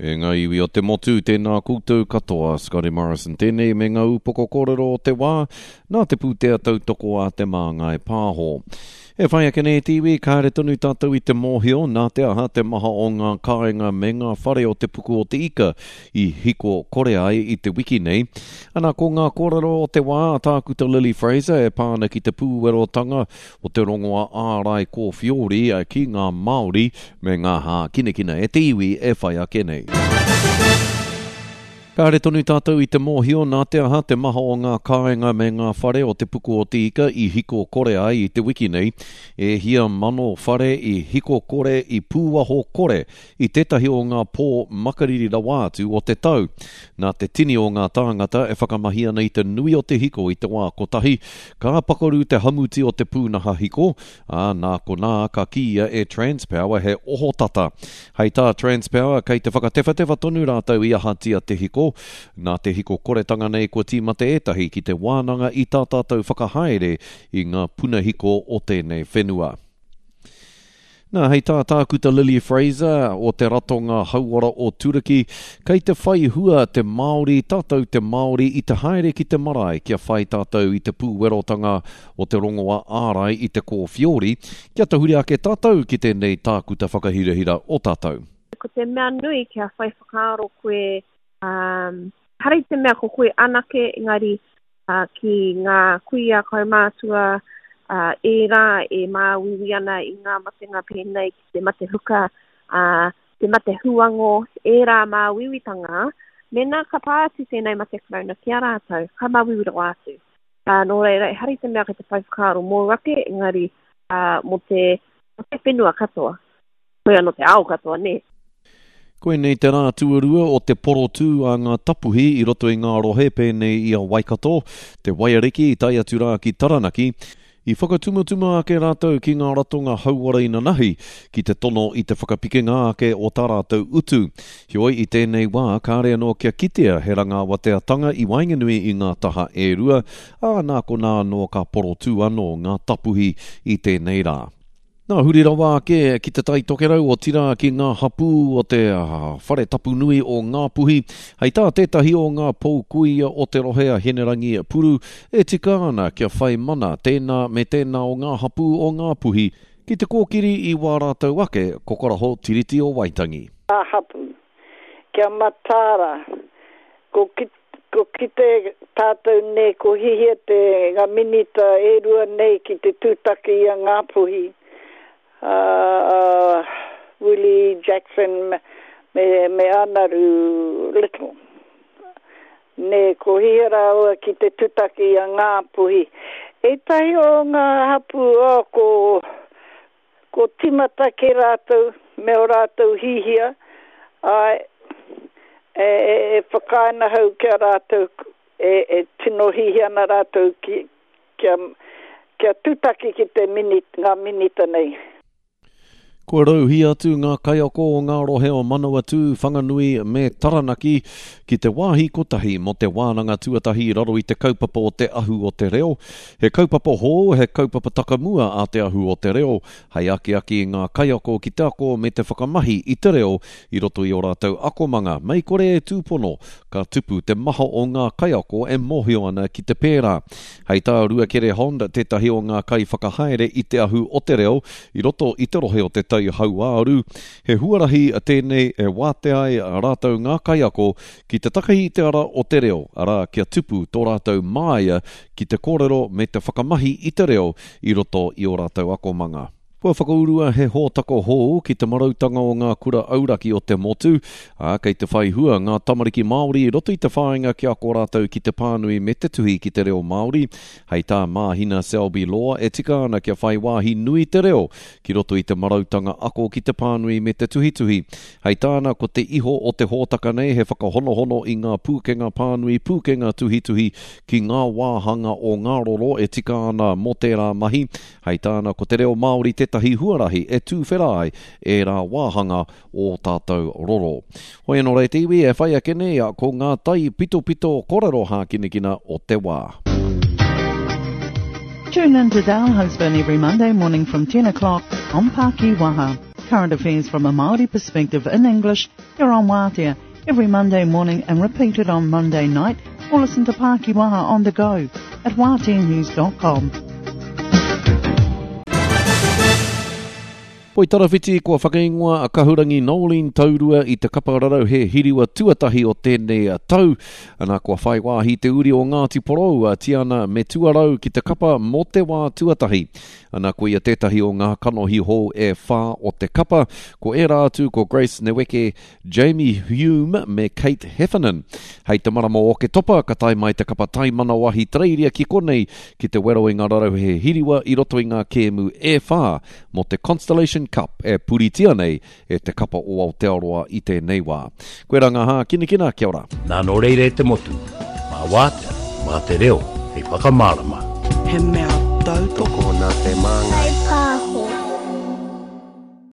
E ngā iwi o te motu, tēnā koutou katoa, Scotty Morrison tēnei me ngā upoko kōrero o te wā, nā te pūtea tautoko a Te Māngai Pāho. E whai ake nei te iwi, kāre tonu tātou i te mōhio nā te aha te maha o ngā kāinga me ngā whare o te puku o te ika i hiko kore ai i te wiki nei. Ana, ko ngā kōrero o te wā a Tākuta Lily Fraser e pā ana ki te pūwerotanga o te rongoa ārai kōwhiori ki ngā Māori me ngā hākinakina e te iwi e whai ake nei. Kāre tonu tātou i te mōhio nā te aha te maha o ngā kāinga me ngā whare o Te Puku o Te Ika i hiko kore ai i te wiki nei. E hia mano whare i hiko kore, i pūaho kore i tētahi o ngā pō makariri rawa atu o te tau. Nā te tini o ngā tāngata e whakamahi ana i te nui o te hiko i te wā kotahi, ka pakaru te hamuti o te pūnaha hiko, ā, nā konā ka kīia e Transpower he ohotata. Hei tā Transpower, kei te whakatewhatewha tonu rātou i ahatia te hiko. Nā te hiko koretanga nei kua tīmata ētahi ki te wānanga i tā tātou whakahaere i ngā puna hiko o tēnei whenua. Nā, hei tā Tākuta Lily Fraser o te Ratonga Hauora o Turaki, kei te whai hua te Māori, tātou te Māori, i te haere ki te marae kia whai tātou i te pūwerotanga o te rongoa ārai i te kōwhiori, kia tahuri ake tātou ki tēnei tākuta whakahirahira o tātou. Ko te mea nui kia whai whakaaro koe, ehara i te mea ko koe anake, engari ki ngā kuia kaumātua, ērā e māuiui ana i ngā matenga pēnei ki te mate huka, te mate huango, ērā māuiuitanga, mēnā ka pā atu tēnei mate karauna ki a rātou, ka māuiui rawa atu. Nō reira, ehara i te mea kei te whai whakaaro mōu ake, engari mō te, mō te whenua katoa. Koia nō te ao katoa, nē. Koinei te rā tuarua o te porotū a ngā tapuhi i roto i ngā rohe pēnei i a Waikato, te Waiariki tae atu rā ki Taranaki. I whakatumatuma ake rātou ki ngā ratonga hauora inanahi ki te tono i te whakapikinga ake o tā rātou utu. Heoi, i tēnei wā, kāre anō kia kitea he rangaawateatanga i waenganui i ngā taha e rua, ā, nā konā anō ka porotū anō ngā tapuhi i tēnei rā. Nā, huri rawa ake ki Te Tai Tokerau, otirā ki ngā hapū o te whare tapu nui o Ngāpuhi. Hei tā tētahi o ngā pou kuia o te rohe a Hinerangi Puru, e tika ana kia whai mana tēnā me tēnā o ngā hapū o Ngāpuhi ki te kōkiri i wā rātou ake kokoraho Tiriti o Waitangi. Ngā hapū. Kia mataara, ko ko kite tātou nei ko hihia te nga minita e rua nei ki te tūtaki i a Ngāpuhi, a Willie Jackson me me Anaru Little. Nē, ko hihia rāua ki te tutaki i a Ngāpuhi. Ētahi o ngā hapū, oh, ko Ko timata ke ratou me o ratou hihia, ae, e, e whakaae ana hau ki a ratou, e, e tino hihia ana ratou ki, kia, kia tutaki ki te minit, nga minita nei. Kua rauhī atu ngā kaiako o ngā rohe o Manawatū, Whanganui me Taranaki ki te wāhi kotahi mō te wānanga tuatahi i raro i te kaupapa o Te Ahu o te Reo. He kaupapa hou, he kaupapa takamua a Te Ahu o te Reo, hei akiaki i ngā kaiako ki te ako me te whakamahi i te reo i roto i ō rātou akomanga, mei kore e tūpono, ka tupu te maha o ngā kaiako e mōhio ana ki te pērā. Hei tā Ruakere Hond, tētahi o ngā kaiwhakahaere i Te Ahu o te Reo i roto i te rohe o Te Tai Hauāuru, he huarahi tēnei e wātea ai rātou ngā kaiako ki te takahi i te ara o te reo, arā, kia tupu tō rātou māia ki te kōrero me te whakamahi i te reo i roto i ō rātou akomanga. Kua whakaurua he hōtaka hou ki te marautanga o ngā kura auraki o te motu, ā, kei te whai hua ngā tamariki Māori i roto i te whāinga kia ako rātou ki te pānui me te tuhi ki te reo Māori. Hei tā Māhina Selby Law, e tika ana kia whai wāhi nui te reo ki roto i te marautanga ako ki te pānui me te tuhituhi. Hei tāna, ko te iho o te hōtaka nei he whakahonohono i ngā pūkenga pānui, pūkenga tuhituhi ki ngā wāhanga o ngā roro e tika ana mō tērā mahi. Hei tāna, ko te reo Māori tētahi huarahi e tūwhera ai ērā wāhanga o tātou roro. Hoi anō rā e te iwi, e whai ake nei ko ngā tai pitopito korero hākinakina o te wā. Tune in to Dale Husband every Monday morning from 10 o'clock on Pākiwaha. Current affairs from a Māori perspective in English here on Waatea every Monday morning and repeated on Monday night or listen to Pākiwaha on the go at waateanews.com. Poitarawhiti, kua whakaingoa a Kahurangi Noeline Taurua i te kapa rarauhe hiriwa tuatahi o tēnei tau. Ana, kua whai wāhi te uri o Ngāti Porou, a Tiana Metuarau ki te kapa mō te wā tuatahi. Ana, ko ia tētahi o ngā kanohi hou e whā o te kapa. Ko ērā atu ko Grace Neweke, Jamie Hume me Kate Heffernan. Hei te marama o Oketopa ka tae mai te kapa taimana o Ahitereiria ki konei ki te wero i ngā rarauhe hiriwa i roto i ngā kēmu e whā mō te Constellation Cup e puritia nei e te kapa o Aotearoa i tēnei wā. Koirā ngā hākinakina, kia ora. Nā nō reira e te motu, mā Wātea, mā te reo hei whakamārama. He mea tautoko. Tokona te māngai.